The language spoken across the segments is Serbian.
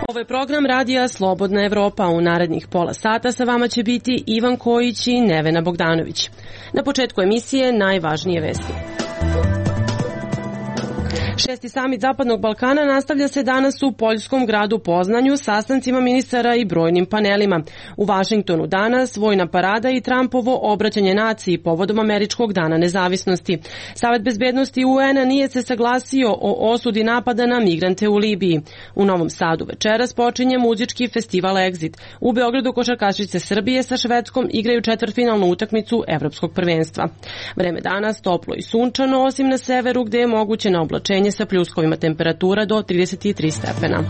Ovo je program radija Slobodna Evropa. U narednih pola sata sa vama će biti Ivan Kojić i Nevena Bogdanović. Na početku emisije najvažnije vesti. 6. samit Zapadnog Balkana nastavlja se danas u poljskom gradu Poznanju sastancima ministara i brojnim panelima. U Vašingtonu danas vojna parada i Trumpovo obraćanje naciji povodom Američkog dana nezavisnosti. Savet bezbednosti UN-a nije se saglasio o osudi napada na migrante u Libiji. U Novom Sadu večeras počinje muzički festival Exit. U Beogradu košarkašice Srbije sa Švedskom igraju četvrtfinalnu utakmicu Evropskog prvenstva. Vreme danas toplo i sunčano, osim na severu gde je moguće na oblačenje sa pljuskovima, temperatura do 33 stepena.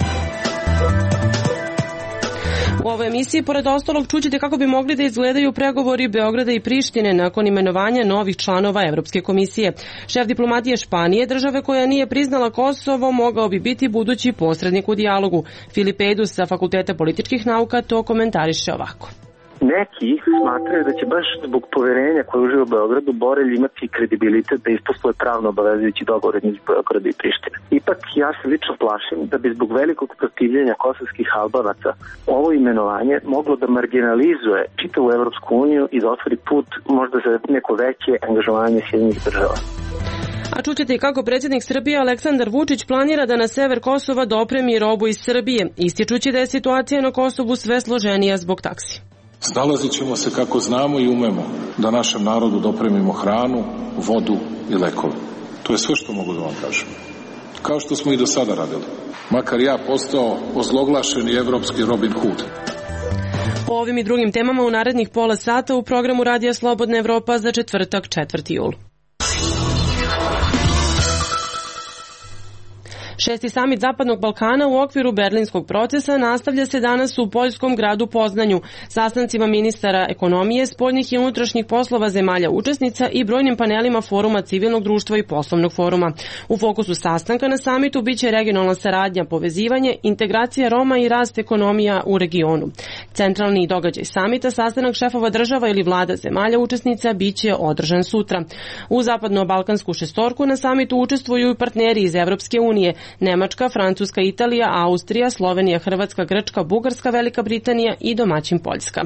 U ovoj emisiji, pored ostalog, čućete kako bi mogli da izgledaju pregovori Beograda i Prištine nakon imenovanja novih članova Evropske komisije. Šef diplomatije Španije, države koja nije priznala Kosovo, mogao bi biti budući posrednik u dijalogu. Filip Ejdus sa Fakulteta političkih nauka to komentariše ovako. Neki smatraju da će baš zbog poverenja koje uživa u Beogradu Borelj imati kredibilitet da isposluje pravno obavezujući dogovor između Beograda i Prištine. Ipak ja se lično plašim da bi zbog velikog protivljenja kosovskih Albanaca ovo imenovanje moglo da marginalizuje čitavu Evropsku uniju i da otvori put možda za neko veće angažovanje Sjedinjenih država. A čućete i kako predsjednik Srbije Aleksandar Vučić planira da na sever Kosova dopremi robu iz Srbije, ističući da je situacija na Kosovu sve složenija zbog taksi. Snalazit ćemo se kako znamo i umemo da našem narodu dopremimo hranu, vodu i lekove. To je sve što mogu da vam kažem. Kao što smo i do sada radili. Makar ja postao ozloglašeni evropski Robin Hood. O ovim i drugim temama u narednih pola sata u programu Radija Slobodna Evropa za četvrtak 4. jul. 6. samit Zapadnog Balkana u okviru berlinskog procesa nastavlja se danas u poljskom gradu Poznanju, sastancima ministara ekonomije, spoljnih i unutrašnjih poslova zemalja učesnica i brojnim panelima foruma civilnog društva i poslovnog foruma. U fokusu sastanka na samitu biće regionalna saradnja, povezivanje, integracija Roma i rast ekonomija u regionu. Centralni događaj samita, sastanak šefova država ili vlada zemalja učesnica, biće održan sutra. U zapadno-balkansku šestorku na samitu učestvuju i partneri iz Evropske unije, Nemačka, Francuska, Italija, Austrija, Slovenija, Hrvatska, Grčka, Bugarska, Velika Britanija i domaćin Poljska.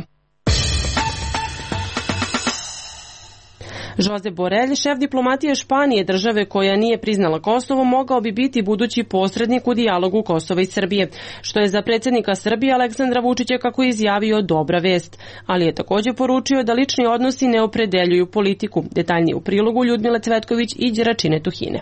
Josep Borrell, šef diplomatije Španije, države koja nije priznala Kosovo, mogao bi biti budući posrednik u dijalogu Kosova i Srbije, što je za predsjednika Srbije Aleksandra Vučića, kako je izjavio, dobra vest, ali je također poručio da lični odnosi ne opredeljuju politiku. Detaljnije u prilogu Ljudmile Cvetković i Đeračine Tuhine.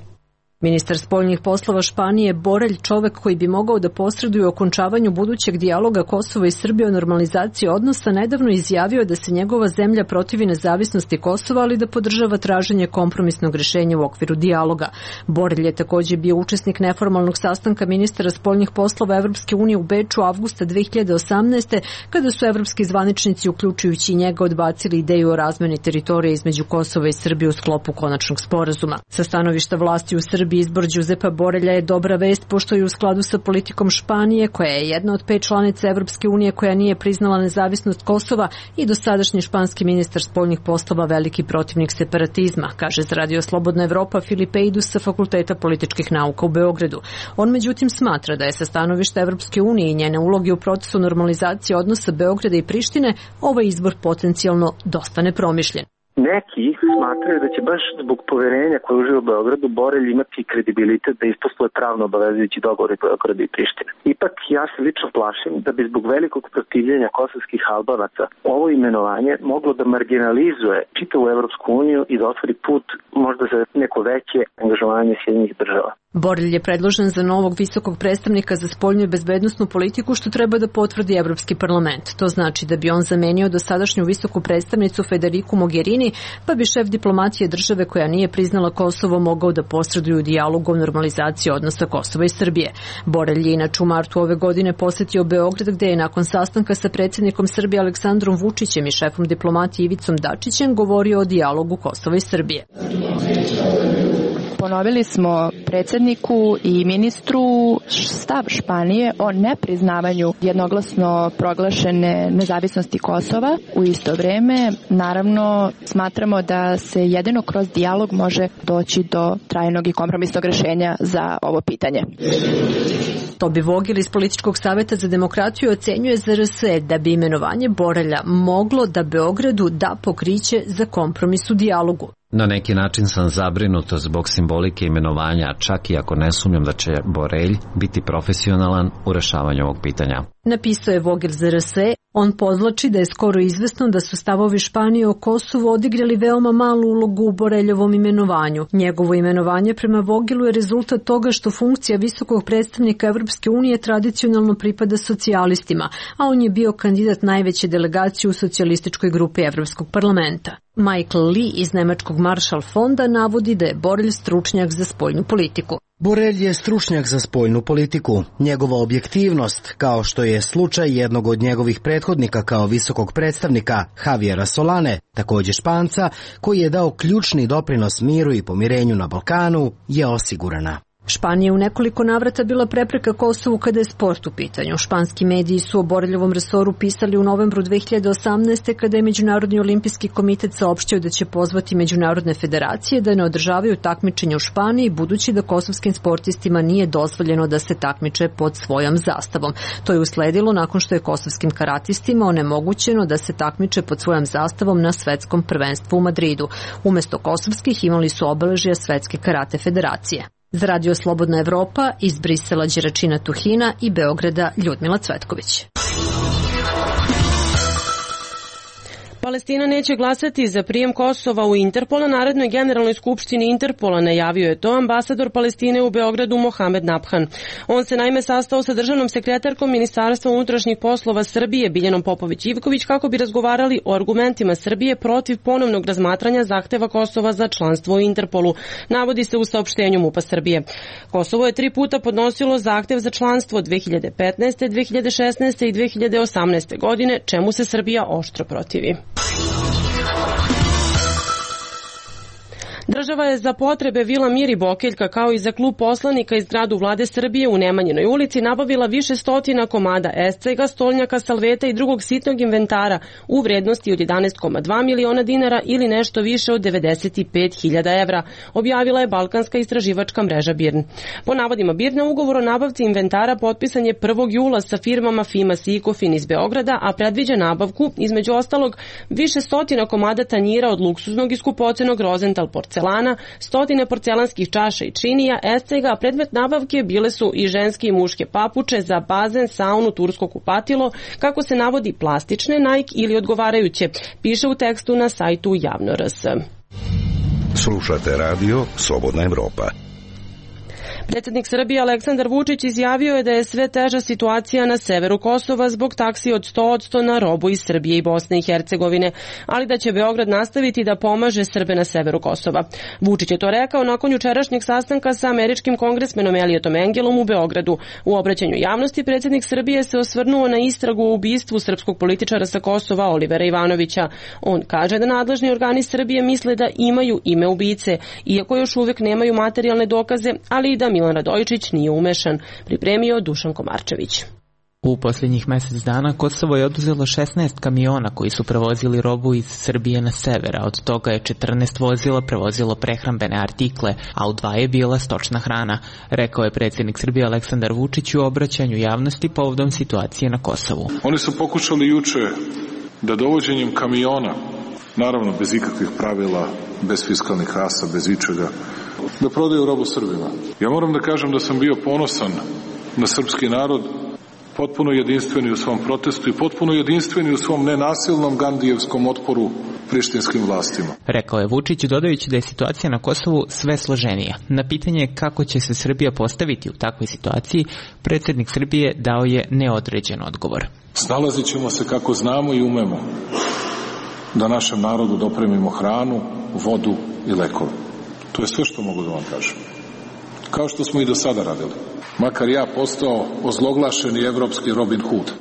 Ministar spoljnih poslova Španije Borrell, čovek koji bi mogao da posreduje u okončavanju budućeg dijaloga Kosova i Srbije o normalizaciji odnosa, nedavno izjavio da se njegova zemlja protivi nezavisnosti Kosova, ali da podržava traženje kompromisnog rješenja u okviru dijaloga. Borrell je također bio učesnik neformalnog sastanka ministara spoljnih poslova Evropske unije u Beču avgusta 2018. kada su evropski zvaničnici, uključujući i njega, odbacili ideju o razmeni teritorije između Kosova i Srbije u sklopu konačnog sporazuma. Sa stanovišta vlasti u Srbiji, izbor Josepa Borrella je dobra vest, pošto je u skladu sa politikom Španije, koja je jedna od 5 članica Evropske unije koja nije priznala nezavisnost Kosova, i dosadašnji španski ministar spoljnih poslova veliki protivnik separatizma, kaže za Radio Slobodna Evropa Filip Ejdus sa Fakulteta političkih nauka u Beogradu. On međutim smatra da je sa stanovišta Evropske unije i njene uloge u procesu normalizacije odnosa Beograda i Prištine ovaj izbor potencijalno dosta nepromišljen. Neki smatraju da će baš zbog poverenja koje uživa u Beogradu Borelj imati kredibilitet da isposluje pravno obavezujući dogovor između Beograda i Prištine. Ipak ja se lično plašim da bi zbog velikog protivljenja kosovskih Albanaca ovo imenovanje moglo da marginalizuje čitavu Evropsku uniju i da otvori put možda za neko veće angažovanje Sjedinjenih država. Borrell je predložen za novog visokog predstavnika za spoljnu i bezbednosnu politiku, što treba da potvrdi Evropski parlament. To znači da bi on zamenio dosadašnju visoku predstavnicu Federiku Mogherini, pa bi šef diplomatije države koja nije priznala Kosovo mogao da posreduje u dijalogu o normalizaciji odnosa Kosova i Srbije. Borrell je inače u martu ove godine posetio Beograd, gde je nakon sastanka sa predsjednikom Srbije Aleksandrom Vučićem i šefom diplomatije Ivicom Dačićem govorio o dijalogu Kosova i Srbije. Ponovili smo predsjedniku i ministru stav Španije o nepriznavanju jednoglasno proglašene nezavisnosti Kosova. U isto vrijeme, naravno, smatramo da se jedino kroz dijalog može doći do trajnog i kompromisnog rješenja za ovo pitanje. Tobi Vogel iz Političkog savjeta za demokratiju ocenjuje ZRS da bi imenovanje Borelja moglo da Beogradu da pokriće za kompromis u dijalogu. Na neki način sam zabrinut zbog simbolike imenovanja, čak i ako ne sumnjam da će Borelj biti profesionalan u rešavanju ovog pitanja. Napisao je Vogel ZRS. On podvlači da je skoro izvesno da su stavovi Španije o Kosovu odigrali veoma malu ulogu u Boreljovom imenovanju. Njegovo imenovanje prema Vogelu je rezultat toga što funkcija visokog predstavnika Evropske unije tradicionalno pripada socijalistima, a on je bio kandidat najveće delegacije u socijalističkoj grupi Evropskog parlamenta. Michael Lee iz Nemačkog Marshall fonda navodi da je Borelj stručnjak za spoljnu politiku. Borelj je stručnjak za spoljnu politiku. Njegova objektivnost, kao što je slučaj jednog od njegovih prethodnika kao visokog predstavnika, Javiera Solane, također Španca, koji je dao ključni doprinos miru i pomirenju na Balkanu, je osigurana. Španija u nekoliko navrata bila prepreka Kosovu kada je sport u pitanju. Španski mediji su o Boreljovom resoru pisali u novembru 2018. kada je Međunarodni olimpijski komitet saopštio da će pozvati međunarodne federacije da ne održavaju takmičenje u Španiji, budući da kosovskim sportistima nije dozvoljeno da se takmiče pod svojom zastavom. To je usledilo nakon što je kosovskim karatistima onemogućeno da se takmiče pod svojom zastavom na svetskom prvenstvu u Madridu. Umesto kosovskih imali su obeležja Svetske karate federacije. Za Radio Slobodna Evropa iz Brisela Đeračina Tuhina i Beograda Ljudmila Cvetković. Palestina neće glasati za prijem Kosova u Interpol na narednoj generalnoj skupštini Interpola, najavio je to ambasador Palestine u Beogradu Mohamed Nabhan. On se naime sastao sa državnom sekretarkom Ministarstva unutrašnjih poslova Srbije Biljanom Popović-Ivković kako bi razgovarali o argumentima Srbije protiv ponovnog razmatranja zahteva Kosova za članstvo u Interpolu, navodi se u saopštenju MUP-a Srbije. Kosovo je 3 puta podnosilo zahtev za članstvo 2015., 2016. i 2018. godine, čemu se Srbija oštro protivi. Država je za potrebe Vila Mir i Bokeljka kao i za klub poslanika iz zgradu Vlade Srbije u Nemanjinoj ulici nabavila više stotina komada escega, stolnjaka, salveta i drugog sitnog inventara u vrednosti od 11,2 miliona dinara ili nešto više od 95.000 evra, objavila je Balkanska istraživačka mreža BIRN. Po navodima BIRN-a, ugovor o nabavci inventara potpisan je 1. jula sa firmama Fimas i Ikofin iz Beograda, a predviđa nabavku, između ostalog, više stotina komada tanjira od luksuznog i skupocenog Rosenthal porcelana, stotine porcelanskih čaša i činija, escega, a predmet nabavke bile su i ženske i muške papuče za bazen, saunu, tursko kupatilo, kako se navodi plastične, Nike ili odgovarajuće, piše u tekstu na sajtu Javno RS. Slušate radio Slobodna Evropa. Predsjednik Srbije Aleksandar Vučić izjavio je da je sve teža situacija na severu Kosova zbog taksi od 100% na robu iz Srbije i Bosne i Hercegovine, ali da će Beograd nastaviti da pomaže Srbe na severu Kosova. Vučić je to rekao nakon jučerašnjeg sastanka sa američkim kongresmenom Eliotom Engelom u Beogradu. U obraćanju javnosti predsjednik Srbije se osvrnuo na istragu o ubistvu srpskog političara sa Kosova Olivera Ivanovića. On kaže da nadležni organi Srbije misle da imaju ime ubice, iako još uvijek nemaju materijalne dokaze, ali i da Milan Radojičić nije umešan, pripremio Dušan Komarčević. U posljednjih mjesec dana Kosovo je oduzelo 16 kamiona koji su prevozili robu iz Srbije na sever, a od toga je 14 vozila prevozilo prehrambene artikle, a u 2 je bila stočna hrana, rekao je predsjednik Srbije Aleksandar Vučić u obraćanju javnosti povodom situacije na Kosovu. Oni su pokušali juče da dovođenjem kamiona, naravno bez ikakvih pravila, bez fiskalnih kasa, bez ičega, da prodaju robu Srbima. Ja moram da kažem da sam bio ponosan na srpski narod, potpuno jedinstveni u svom protestu i potpuno jedinstveni u svom nenasilnom gandijevskom otporu prištinskim vlastima. Rekao je Vučić, dodajući da je situacija na Kosovu sve složenija. Na pitanje kako će se Srbija postaviti u takvoj situaciji, predsjednik Srbije dao je neodređen odgovor. Snalazit ćemo se kako znamo i umemo da našem narodu dopremimo hranu, vodu i lekove. To je sve što mogu da vam kažem. Kao što smo i do sada radili. Makar ja postao ozloglašeni evropski Robin Hood.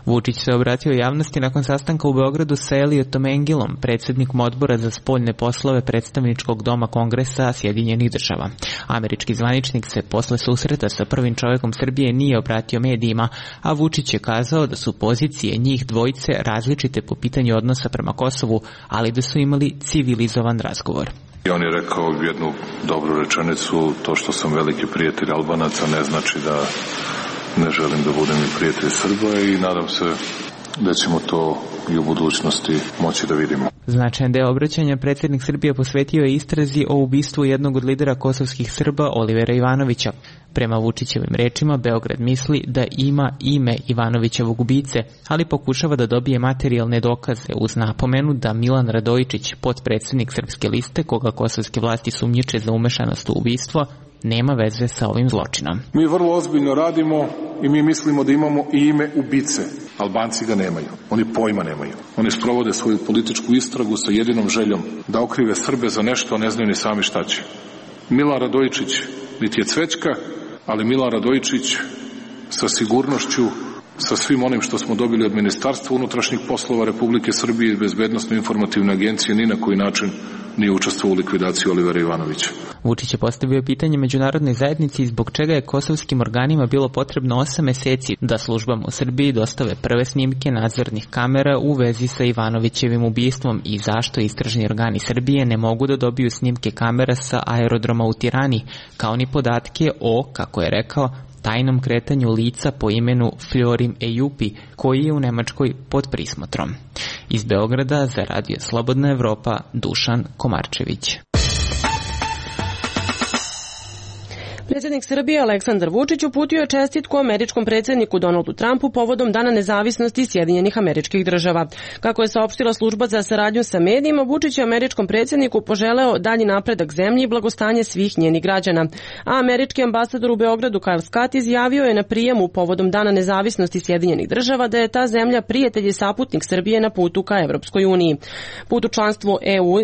Vučić se obratio javnosti nakon sastanka u Beogradu sa Eliotom Engilom, predsjednikom odbora za spoljne poslove predstavničkog doma Kongresa Sjedinjenih država. Američki zvaničnik se posle susreta sa prvim čovjekom Srbije nije obratio medijima, a Vučić je kazao da su pozicije njih dvojice različite po pitanju odnosa prema Kosovu, ali da su imali civilizovan razgovor. On je rekao jednu dobru rečenicu: to što sam veliki prijatelj Albanaca ne znači da ne želim da budem i prijatelj Srba, i nadam se da ćemo to i u budućnosti moći da vidimo. Značajan deo obraćanja predsjednik Srbije posvetio je istrazi o ubistvu jednog od lidera kosovskih Srba, Olivera Ivanovića. Prema Vučićevim rečima, Beograd misli da ima ime Ivanovićevog ubice, ali pokušava da dobije materijalne dokaze, uz napomenu da Milan Radojičić, potpredsjednik Srpske liste, koga kosovske vlasti sumnjiče za umešanost u ubistvo, nema veze sa ovim zločinom. Mi vrlo ozbiljno radimo i mi mislimo da imamo i ime ubice. Albanci ga nemaju. Oni pojma nemaju. Oni sprovode svoju političku istragu sa jedinom željom da okrive Srbe za nešto, a ne znaju ni sami šta će. Milan Radojičić niti je cvećka, ali Milan Radojičić sa sigurnošću, sa svim onim što smo dobili od Ministarstva unutrašnjih poslova Republike Srbije i Bezbednosno-informativne agencije, ni na koji način nije učestvovao u likvidaciji Olivera Ivanovića. Vučić je postavio pitanje međunarodnoj zajednici zbog čega je kosovskim organima bilo potrebno 8 meseci da službama u Srbiji dostave prve snimke nadzornih kamera u vezi sa Ivanovićevim ubistvom i zašto istražni organi Srbije ne mogu da dobiju snimke kamera sa aerodroma u Tirani, kao ni podatke o, kako je rekao, tajnom kretanju lica po imenu Florim Ejupi, koji je u Nemačkoj pod prismotrom. Iz Beograda za Radio Slobodna Evropa, Dušan Komarčević. Predsjednik Srbije Aleksandar Vučić uputio je čestitku američkom predsjedniku Donaldu Trumpu povodom Dana nezavisnosti Sjedinjenih Američkih Država. Kako je saopštila služba za saradnju sa medijima, Vučić je američkom predsjedniku poželeo dalji napredak zemlji i blagostanje svih njenih građana. A američki ambasador u Beogradu Kyle Scott izjavio je na prijemu povodom Dana nezavisnosti Sjedinjenih Država da je ta zemlja prijatelj i saputnik Srbije na putu ka Evropskoj uniji. Put u članstvo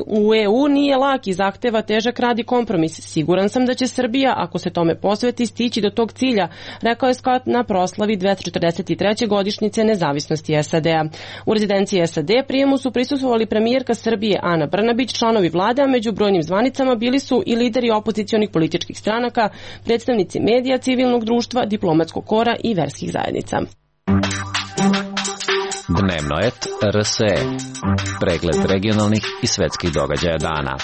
u EU nije lak i zahteva težak rad i kompromis. Siguran sam da će Srbija, ako se tome posveti, stići do tog cilja, rekao je Scott na proslavi 243. godišnjice nezavisnosti SAD-a. U rezidenciji SAD prijemu su prisustvovali premijerka Srbije Ana Brnabić, članovi vlade, a među brojnim zvanicama bili su i lideri opozicionih političkih stranaka, predstavnici medija, civilnog društva, diplomatskog kora i verskih zajednica. Dnevnoet RSE. Pregled regionalnih i svetskih događaja dana.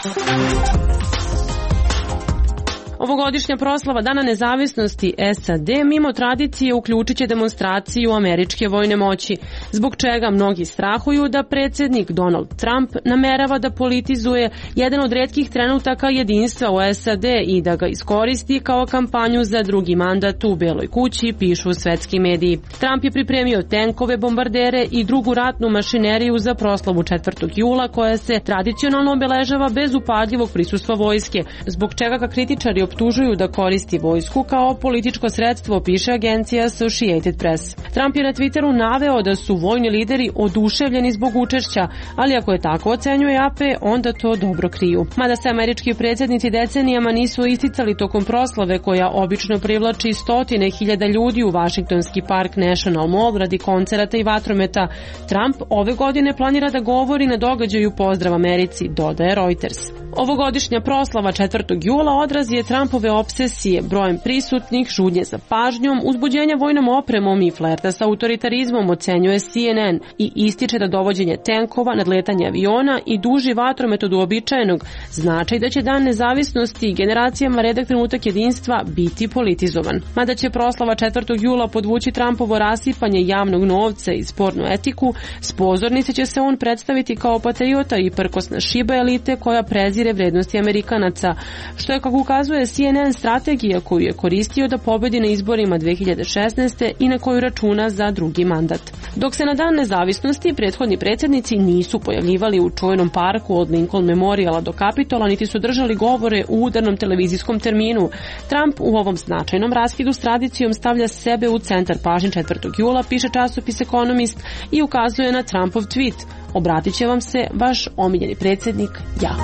Ovogodišnja proslava Dana nezavisnosti SAD mimo tradicije uključit će demonstraciju američke vojne moći, zbog čega mnogi strahuju da predsjednik Donald Trump namerava da politizuje jedan od retkih trenutaka jedinstva u SAD i da ga iskoristi kao kampanju za drugi mandat u Beloj kući, pišu svetski mediji. Trump je pripremio tenkove, bombardere i drugu ratnu mašineriju za proslavu 4. jula koja se tradicionalno obeležava bez upadljivog prisustva vojske, zbog čega ga kritičari optužuju da koristi vojsku kao političko sredstvo, piše agencija Associated Press. Trump je na Twitteru naveo da su vojni lideri oduševljeni zbog učešća, ali ako je tako ocenjuje AP, onda to dobro kriju. Mada se američki predsjednici decenijama nisu isticali tokom proslave koja obično privlači 100.000 ljudi u Washingtonski park National Mall radi koncerata i vatrometa, Trump ove godine planira da govori na događaju Pozdrav Americi, dodaje Reuters. Ovogodišnja proslava 4. jula odraz je Trumpove obsesije, brojem prisutnih, žudnje za pažnjom, uzbuđenja vojnom opremom i flerta sa autoritarizmom, ocenjuje CNN, i ističe da dovođenje tenkova, nadletanje aviona i duži vatromet od uobičajenog znači da će Dan nezavisnosti generacijama redak trenutak jedinstva biti politizovan. Mada će proslava 4. jula podvući Trumpovo rasipanje javnog novca i spornu etiku, s pozornice će se on predstaviti kao patriota i prkosna šiba elite koja prezire vrednosti Amerikanaca, što je, kako ukazuje CNN, strategija koju je koristio da pobedi na izborima 2016. i na koju računa za drugi mandat. Dok se na Dan nezavisnosti prethodni predsjednici nisu pojavljivali u čuvenom parku od Lincoln Memoriala do Kapitola, niti su držali govore u udarnom televizijskom terminu, Trump u ovom značajnom raskidu s tradicijom stavlja sebe u centar pažnje 4. jula, piše časopis Economist, i ukazuje na Trumpov tweet: obratit će vam se vaš omiljeni predsjednik, ja.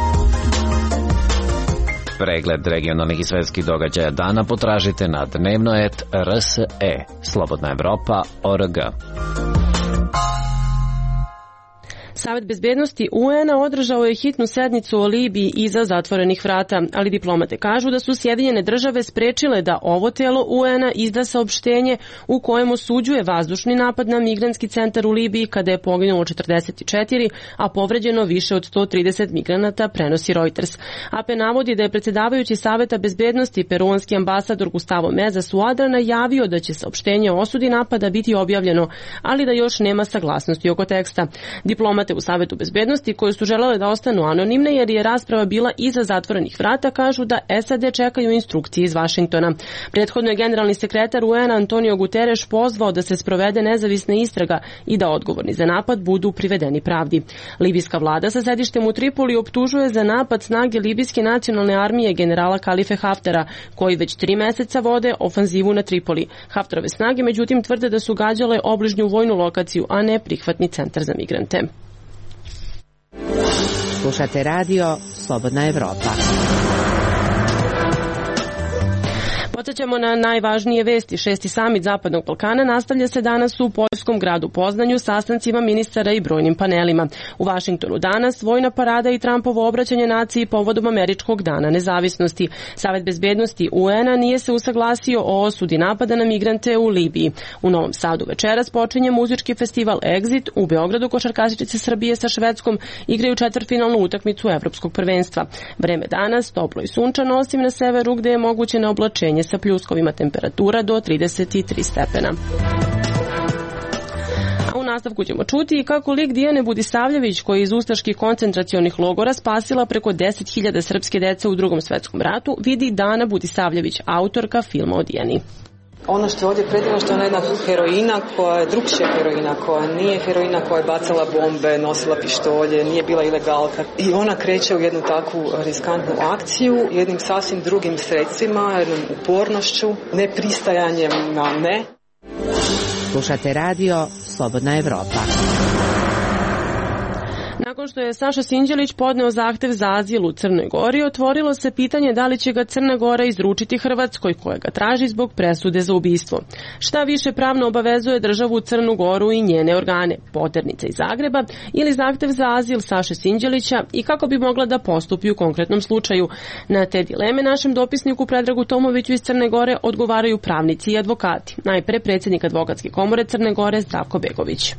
Pregled regionalnih i svetskih događaja dana potražite na dnevnoet.rs.e. Slobodna Evropa.org. Savet bezbednosti UN-a održao je hitnu sednicu o Libiji iza zatvorenih vrata, ali diplomate kažu da su Sjedinjene države sprečile da ovo telo UN-a izda saopštenje u kojem osuđuje vazdušni napad na migrantski centar u Libiji kada je poginulo 44, a povređeno više od 130 migranata, prenosi Reuters. AP navodi da je predsjedavajući Saveta bezbednosti peruanski ambasador Gustavo Meza Suadra najavio da će saopštenje o osudi napada biti objavljeno, ali da još nema saglasnosti oko teksta. Diplomate u Savetu bezbednosti, koje su želele da ostanu anonimne jer je rasprava bila iza zatvorenih vrata, kažu da SAD čekaju instrukcije iz Vašingtona. Prethodno je generalni sekretar UN Antonio Guterres pozvao da se sprovede nezavisna istraga i da odgovorni za napad budu privedeni pravdi. Libijska vlada sa sedištem u Tripoli optužuje za napad snage Libijske nacionalne armije generala Kalife Haftara, koji već 3 meseca vode ofanzivu na Tripoli. Haftarove snage međutim tvrde da su gađale obližnju vojnu lokaciju, a ne prihvatni centar za migrante. Slušate radio Slobodna Evropa. Podsjećamo na najvažnije vesti. 6. samit Zapadnog Balkana nastavlja se danas u poljskom gradu Poznanju sastancima ministara i brojnim panelima. U Vašingtonu danas vojna parada i Trumpovo obraćanje naciji povodom Američkog dana nezavisnosti. Savet bezbednosti UN-a nije se usaglasio o osudi napada na migrante u Libiji. U Novom Sadu večeras počinje muzički festival Exit. U Beogradu košarkašice Srbije sa Švedskom igraju četvrtfinalnu utakmicu Evropskog prvenstva. Vreme danas toplo i sunčano, osim na severu gde je moguće neoblačenje sa pljuskovima, temperatura do 33 stepena. A u nastavku ćemo čuti kako lik Dijane Budisavljević, koja je iz ustaških koncentracionih logora spasila preko 10.000 srpske dece u Drugom svetskom ratu, vidi Dana Budisavljević, autorka filma o Dijani. Ono što je ovdje predivno, što je ona jedna heroina koja je drugčija heroina, koja nije heroina koja je bacala bombe, nosila pištolje, nije bila ilegalka. I ona kreće u jednu takvu riskantnu akciju, jednim sasvim drugim sredstvima, jednom upornošću, nepristajanjem na ne. Slušate radio Slobodna Evropa. Nakon što je Saša Sinđelić podneo zahtev za azil u Crnoj Gori, otvorilo se pitanje da li će ga Crna Gora izručiti Hrvatskoj, koja ga traži zbog presude za ubistvo. Šta više pravno obavezuje državu Crnu Goru i njene organe, poternica iz Zagreba ili zahtev za azil Saše Sinđelića, i kako bi mogla da postupi u konkretnom slučaju? Na te dileme našem dopisniku Predragu Tomoviću iz Crne Gore odgovaraju pravnici i advokati. Najpre predsjednik Advokatske komore Crne Gore Zdravko Begović.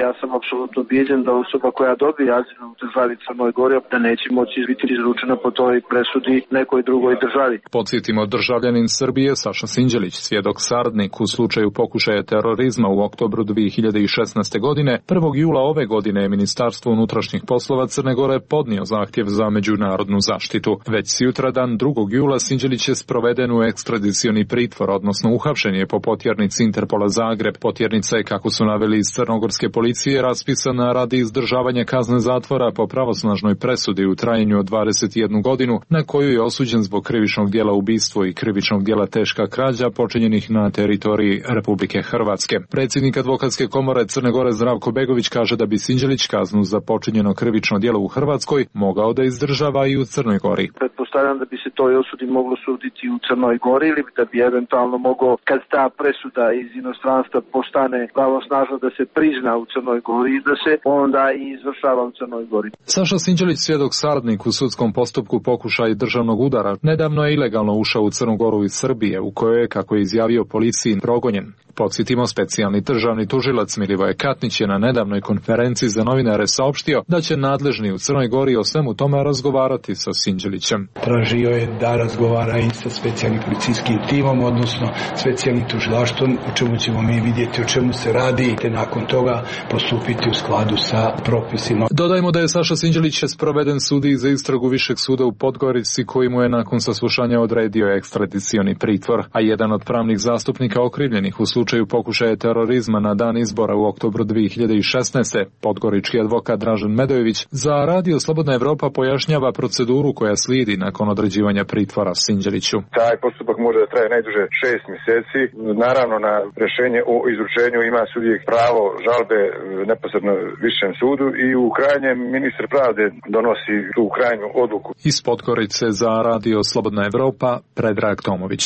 Ja sam apsolutno ubijeđen da osoba koja dobije azil u državi Crnoj Gori da neće moći biti izručena po toj presudi nekoj drugoj državi. Podsjetimo, državljanin Srbije Saša Sinđelić, svjedok saradnik u slučaju pokušaja terorizma u oktobru 2016. godine, 1. jula ove godine je Ministarstvo unutrašnjih poslova Crne Gore podnio zahtjev za međunarodnu zaštitu. Već sutradan 2. jula Sinđelić je sproveden u ekstradicioni pritvor, odnosno uhapšen je po potjernici Interpola Zagreb. Potjernica je, kako su naveli iz crnogorske policije, raspisana radi izdržavanja kazne zatvora po pravosnažnoj presudi u trajanju od 21 godinu, na koju je osuđen zbog krivičnog djela ubistvo i krivičnog djela teška krađa počinjenih na teritoriji Republike Hrvatske. Predsjednik Advokatske komore Crne Gore Zdravko Begović kaže da bi Sinđelić kaznu za počinjeno krivično djelo u Hrvatskoj mogao da izdržava i u Crnoj Gori. Pretpostavljam da bi se toj osudi moglo suditi u Crnoj Gori ili da bi eventualno mogao, kad ta presuda iz inostranstva postane pravosnažna, da se prizna u Crnoj Gori i da se onda i izvršava u Crnoj Gori. Saša Sinđelić, svjedok saradnik u sudskom postupku pokušaj državnog udara, nedavno je ilegalno ušao u Crnu Goru iz Srbije, u kojoj je, kako je izjavio policiji, progonjen. Podsjetimo, specijalni državni tužilac Milivoje Katnić je na nedavnoj konferenciji za novinare saopštio da će nadležni u Crnoj Gori o svemu tome razgovarati sa Sinđelićem. Tražio je da razgovara i sa specijalnim policijskim timom, odnosno specijalnim tužilaštvom, o čemu ćemo mi vidjeti o čemu se radi, te nakon toga postupiti u skladu sa propisima. Dodajmo da je Saša Sinđelić sproveden sudiji za istragu Višeg suda u Podgorici, koji mu je nakon saslušanja odredio ekstradicioni pritvor, a jedan od pravnih zastupnika okrivljenih u slučaju pokušaja terorizma na dan izbora u oktobru 2016. podgorički advokat Dražen Medojević za Radio Slobodna Evropa pojašnjava proceduru koja slijedi nakon određivanja pritvora Sinđeliću. Taj postupak može da traje najduže 6 mjeseci. Naravno, na rješenje o izručenju ima sudijek pravo žalbe neposredno višem sudu i u krajnjem ministar pravde donosi tu krajnju odluku. Iz Podgorice za Radio Slobodna Evropa Predrag Tomović.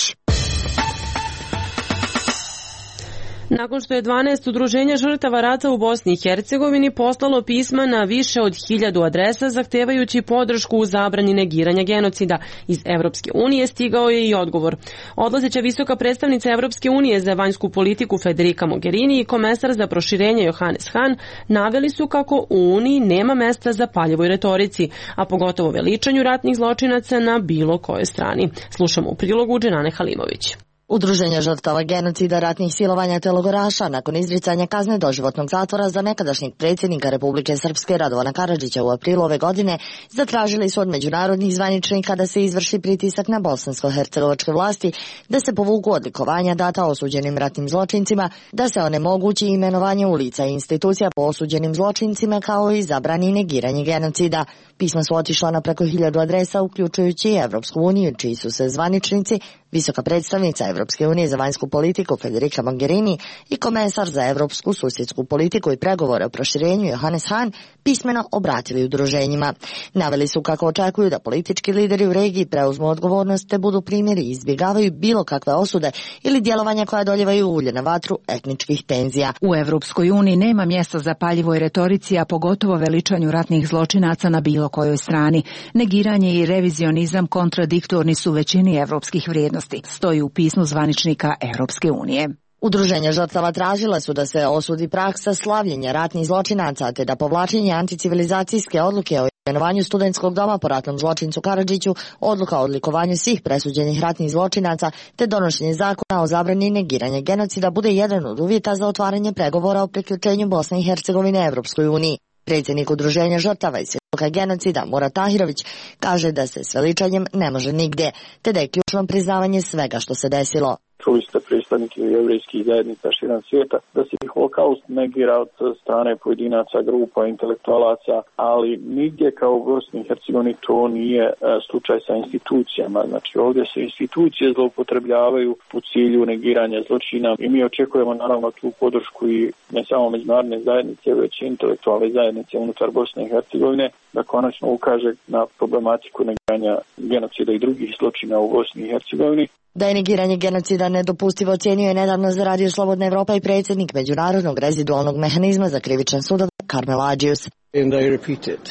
Nakon što je 12 udruženja žrtava rata u Bosni i Hercegovini poslalo pisma na više od 1000 adresa zahtevajući podršku u zabrani negiranja genocida iz Evropske unije, stigao je i odgovor. Odlazeća visoka predstavnica Evropske unije za vanjsku politiku Federica Mogherini i komesar za proširenje Johannes Hahn naveli su kako u Uniji nema mesta za paljevoj retorici, a pogotovo veličanju ratnih zločinaca na bilo kojoj strani. Slušamo u prilogu Dženane Halimović. Udruženja žrtava genocida, ratnih silovanja te logoraša nakon izricanja kazne doživotnog zatvora za nekadašnjeg predsjednika Republike Srpske Radovana Karadžića u aprilu ove godine zatražili su od međunarodnih zvaničnika da se izvrši pritisak na bosansko-hercegovačke vlasti, da se povuku odlikovanja data osuđenim ratnim zločincima, da se onemogući imenovanje ulica i institucija po osuđenim zločincima kao i zabrani negiranje genocida. Pisma su otišla na preko 1000 adresa, uključujući i Evropsku uniju, čiji su se zvaničnici, visoka predstavnica Evropske unije za vanjsku politiku Federica Mogherini i komesar za evropsku susjedsku politiku i pregovore o proširenju Johannes Hahn pismeno obratili udruženjima. Naveli su kako očekuju da politički lideri u regiji preuzmu odgovornost te budu primjeri i izbjegavaju bilo kakve osude ili djelovanja koja doljevaju ulje na vatru etničkih tenzija. U Evropskoj uniji nema mjesta za paljivoj retorici, a pogotovo veličanju ratnih zločinaca na bilo kojoj strani. Negiranje i revizionizam kontradiktorni su većini evropskih vrijednosti, stoji u pismu zvaničnika Evropske unije. Udruženja žrtava tražila su da se osudi praksa slavljenja ratnih zločinaca te da povlačenje anticivilizacijske odluke o imenovanju studentskog doma po ratnom zločincu Karadžiću, odluka o odlikovanju svih presuđenih ratnih zločinaca te donošenje zakona o zabrani negiranja genocida bude jedan od uvjeta za otvaranje pregovora o priključenju Bosne i Hercegovine Evropskoj uniji. Predsjednik udruženja žrtava i svjedoka genocida Murat Tahirović kaže da se s veličanjem ne može nigdje, te da je ključno priznavanje svega što se desilo. Čuli ste predstavnike jevrejskih zajednica širom svijeta da se holokaust negira od strane pojedinaca, grupa, intelektualaca, ali nigdje kao u Bosni i Hercegovini to nije slučaj sa institucijama. Znači ovdje se institucije zloupotrebljavaju u cilju negiranja zločina i mi očekujemo naravno tu podršku i ne samo međunarodne zajednice, već i intelektualne zajednice unutar Bosne i Hercegovine da konačno ukaže na problematiku negiranja genocida i drugih zločina u Bosni i Hercegovini. Da je negiranje genocida nedopustivo ocjenjuje nedavno za Radio Slobodna Evropa i predsjednik Međunarodnog rezidualnog mehanizma za krivičan sud Karmel Adžius.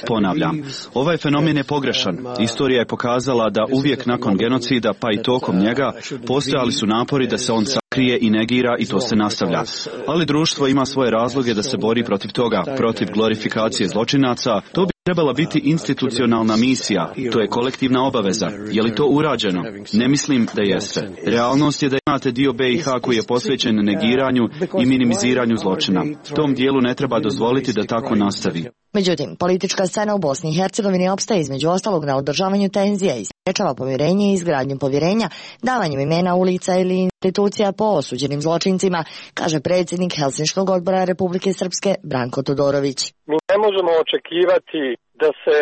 Ponavljam, ovaj fenomen je pogrešan. Istorija je pokazala da uvijek nakon genocida, pa i tokom njega, postojali su napori da se on sakrije i negira i to se nastavlja. Ali društvo ima svoje razloge da se bori protiv toga, protiv glorifikacije zločinaca. To bi trebala biti institucionalna misija. To je kolektivna obaveza. Je li to urađeno? Ne mislim da jeste. Realnost je da imate dio BiH koji je posvećen negiranju i minimiziranju zločina. Tom dijelu ne treba dozvoliti da tako nastavi. Međutim, politička scena u Bosni i Hercegovini opstaje između ostalog na održavanju tenzija i sprečava pomirenje i izgradnju povjerenja, davanjem imena ulica ili institucija po osuđenim zločincima, kaže predsjednik Helsinškog odbora Republike Srpske Branko Todorović. Mi ne možemo očekivati da se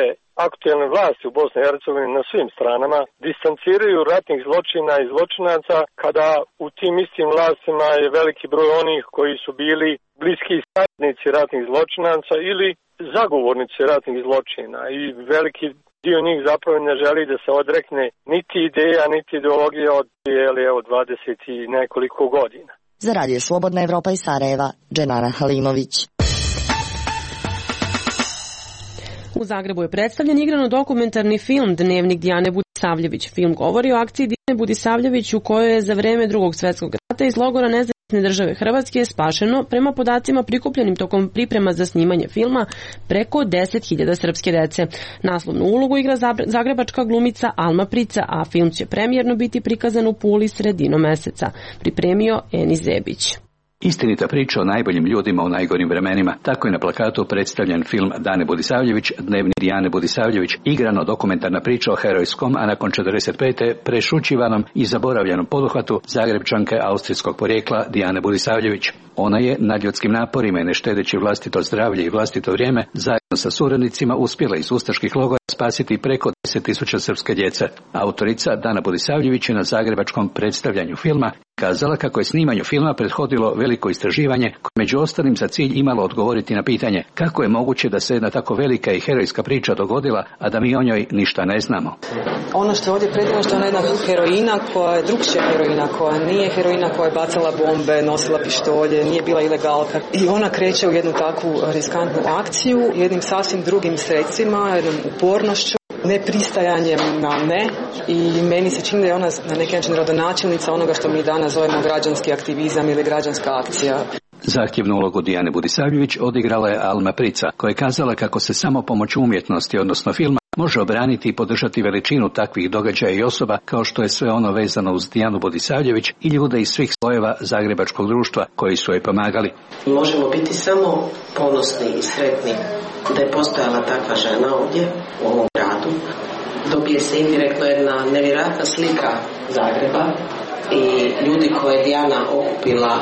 aktuelne vlasti u Bosni i Hercegovini na svim stranama distanciraju ratnih zločina i zločinaca kada u tim istim vlastima je veliki broj onih koji su bili bliski saradnici ratnih zločinaca ili zagovornici ratnih zločina i veliki dio njih zapravo ne želi da se odrekne niti ideja, niti ideologije od 20 i nekoliko godina. Za Radio Slobodna Evropa iz Sarajeva, Dženana Halimović. U Zagrebu je predstavljen igrano-dokumentarni film Dnevnik Dijane Budisavljević. Film govori o akciji Dijane Budisavljević u kojoj je za vreme Drugog svjetskog rata iz logora Nezavisne države Hrvatske spašeno, prema podacima prikupljenim tokom priprema za snimanje filma, preko 10.000 srpske dece. Naslovnu ulogu igra zagrebačka glumica Alma Prica, a film će premijerno biti prikazan u Puli sredinom meseca. Pripremio Eni Zebić. Istinita priča o najboljim ljudima u najgorim vremenima. Tako je na plakatu predstavljen film Dane Budisavljević, Dnevnik Dijane Budisavljević, igrano dokumentarna priča o herojskom, a nakon 45. prešućivanom i zaboravljenom poduhvatu Zagrebčanke austrijskog porijekla Dijane Budisavljević. Ona je nadljudskim naporima i ne štedeći vlastito zdravlje i vlastito vrijeme zajedno sa suradnicima uspjela iz ustaških logora spasiti preko 10.000 srpske djece. Autorica Dana Budisavljević je na zagrebačkom predstavljanju filma kazala kako je snimanju filma prethodilo veliko istraživanje koje među ostalim za cilj imalo odgovoriti na pitanje kako je moguće da se jedna tako velika i herojska priča dogodila, a da mi o njoj ništa ne znamo. Ono što je ovdje predivno što je ona jedna heroina koja je drugčija heroina, koja nije heroina koja je bacala bombe, nosila pištolje, nije bila ilegalka. I ona kreće u jednu takvu riskantnu akciju, jednim sasvim drugim sredstvima, jednom upornošću, nepristajanjem na ne, i meni se čini da je ona na neki način rodonačelnica onoga što mi danas zovemo građanski aktivizam ili građanska akcija. Zahtjevnu ulogu Dijane Budisavljević odigrala je Alma Prica, koja je kazala kako se samo pomoću umjetnosti, odnosno filma, može obraniti i podržati veličinu takvih događaja i osoba kao što je sve ono vezano uz Dijanu Budisavljević i ljude iz svih slojeva zagrebačkog društva koji su joj pomagali. Možemo biti samo ponosni i sretni da je postojala takva žena ovdje u ovom gradu. Dobije se indirektno jedna nevjerojatna slika Zagreba i ljudi koje je Dijana okupila.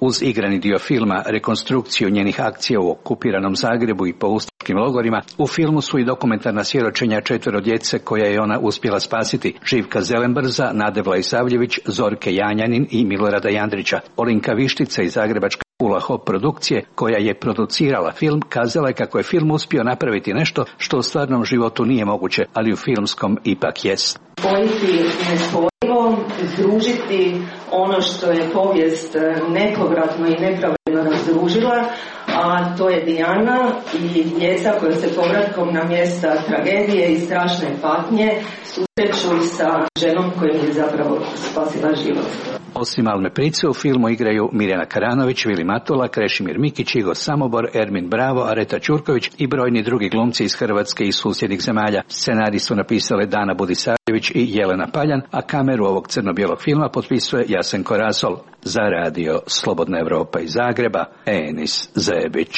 Uz igrani dio filma, rekonstrukciju njenih akcija u okupiranom Zagrebu i po ustaškim logorima, u filmu su i dokumentarna svjedočenja 4 djece koja je ona uspjela spasiti: Živka Zelenbrza, Nade Vlaisavljević, Zorke Janjanin i Milorada Jandrića. Olinka Vištica iz zagrebačke Ula Hop produkcije, koja je producirala film, kazala je kako je film uspio napraviti nešto što u stvarnom životu nije moguće, ali u filmskom ipak jest. Spojiti nespojivo, združiti ono što je povijest nepovratno i nepravedno razdružila, a to je Dijana i djeca koja se povratkom na mjesta tragedije i strašne patnje susreću sa ženom kojim je zapravo spasila život. Osim Alme Price, u filmu igraju Mirjana Karanović, Vili Matula, Krešimir Mikić, Igo Samobor, Ermin Bravo, Areta Ćurković i brojni drugi glumci iz Hrvatske i susjednih zemalja. Scenarij su napisale Dana Budisavljević i Jelena Paljan, a kameru ovog crno-bijelog filma potpisuje Jasenko Rasol. Za radio Slobodna Evropa iz Zagreba, Enis Zebić.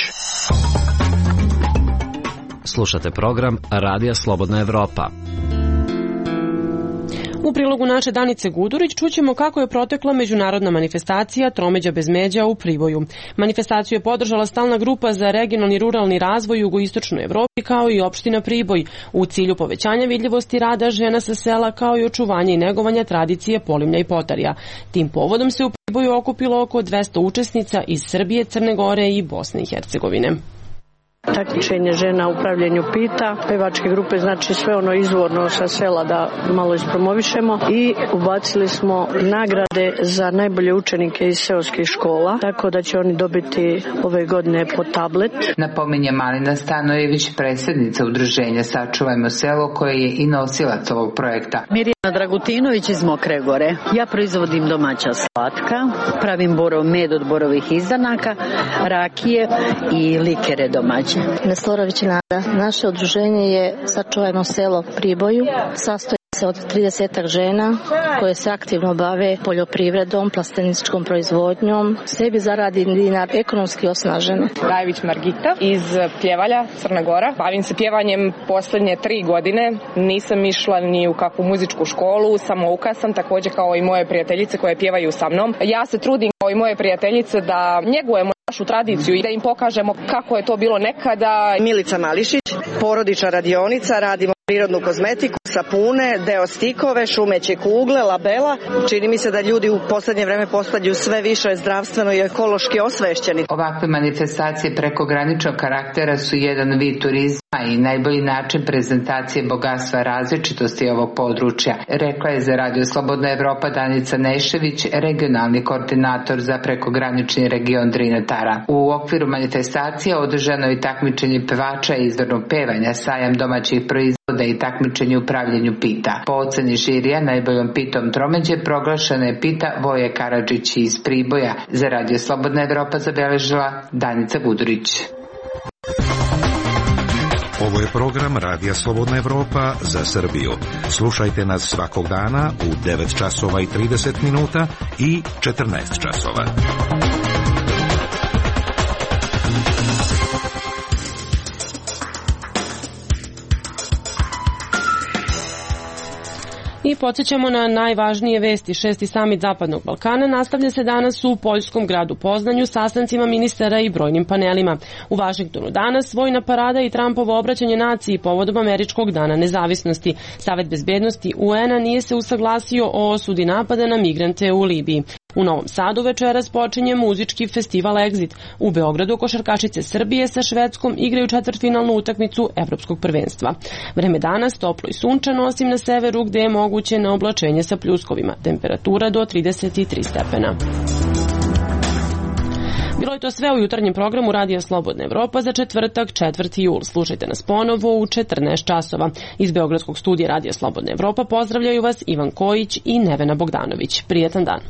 Slušate program Radija Slobodna Evropa. U prilogu naše Danice Gudurić čućemo kako je protekla međunarodna manifestacija Tromeđa bez međa u Priboju. Manifestaciju je podržala stalna grupa za regionalni i ruralni razvoj u jugoistočnoj Evropi kao i opština Priboj u cilju povećanja vidljivosti rada žena sa sela kao i očuvanja i negovanja tradicije polimlja i potarja. Tim povodom se u Priboju okupilo oko 200 učesnica iz Srbije, Crne Gore i Bosne i Hercegovine. Takmičenje žena u upravljanju pita, pevačke grupe, znači sve ono izvorno sa sela da malo ispromovišemo, i ubacili smo nagrade za najbolje učenike iz seoskih škola, tako da će oni dobiti ove godine po tablet. Napominje Malina Stanojević, predsjednica udruženja Sačuvajmo selo, koja je i nosilac ovog projekta. Mirjana Dragutinović iz Mokre Gore. Ja proizvodim domaća slatka, pravim borov med od borovih izdanaka, rakije i likere domaće. Neslorović Nada. Naše udruženje je Sačuvajmo selo Priboju. Sastoji se od 30 žena koje se aktivno bave poljoprivredom, plasteničkom proizvodnjom. Sebi zaradi dinar, ekonomski osnažene. Rajević Margita iz Pjevalja, Crna Gora. Bavim se pjevanjem posljednje 3 godine. Nisam išla ni u kakvu muzičku školu, samouka sam također kao i moje prijateljice koje pjevaju sa mnom. Ja se trudim kao i moje prijateljice da njegujemo našu tradiciju i da im pokažemo kako je to bilo nekada. Milica Mališić, porodična radionica, radimo prirodnu kozmetiku, sapune, deostikove, šumeće kugle, labela. Čini mi se da ljudi u posljednje vreme postaju sve više zdravstveno i ekološki osvešćeni. Ovakve manifestacije prekograničnog karaktera su jedan vid turizma i najbolji način prezentacije bogatstva različitosti ovog područja, rekla je za Radio Slobodna Evropa Danica Nešević, regionalni koordinator za prekogranični region Drina-Tara. U okviru manifestacije održano je takmičenje pevača i izvornog pevanja, sajam domaćih proizvoda i takmičenje u pravljenju pita. Po oceni žirija najboljom pitom Tromeđe proglašena je pita Voje Karadžić iz Priboja. Za Radio Slobodna Evropa zabeležila Danica Gudurić. Ovo je program Radija Slobodna Evropa za Srbiju. Slušajte nas svakog dana u 9 časova i 30 minuta i 14 časova. I Podsjećamo na najvažnije vesti. 6. samit Zapadnog Balkana nastavlja se danas u poljskom gradu Poznanju sastancima ministara i brojnim panelima. U Vašingtonu danas vojna parada i Trumpovo obraćanje naciji povodom Američkog dana nezavisnosti. Savet bezbednosti UN-a nije se usaglasio o osudi napada na migrante u Libiji. U Novom Sadu večeras počinje muzički festival Exit. U Beogradu košarkašice Srbije sa Švedskom igraju četvrtfinalnu utakmicu Evropskog prvenstva. Vreme danas toplo i sunčano, osim na severu gde je moguće neoblačenje sa pljuskovima. Temperatura do 33 stepena. Bilo je to sve u jutarnjem programu Radija Slobodna Evropa za četvrtak 4. jul. Slušajte nas ponovo u 14 časova. Iz Beogradskog studija Radija Slobodna Evropa pozdravljaju vas Ivan Kojić i Nevena Bogdanović. Prijetan dan.